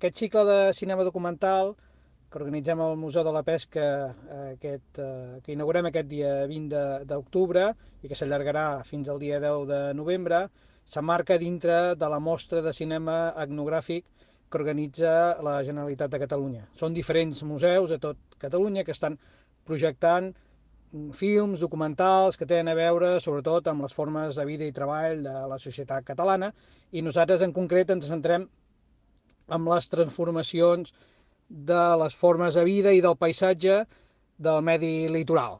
Aquest cicle de cinema documental que organitzem al Museu de la Pesca, que inaugurem aquest dia 20 d'octubre i que s'allargarà fins al dia 10 de novembre, s'emmarca dintre de la mostra de cinema etnogràfic que organitza la Generalitat de Catalunya. Són diferents museus a tot Catalunya que estan projectant films, documentals que tenen a veure sobretot amb les formes de vida i treball de la societat catalana, i nosaltres en concret ens centrem amb les transformacions de les formes de vida i del paisatge del medi litoral.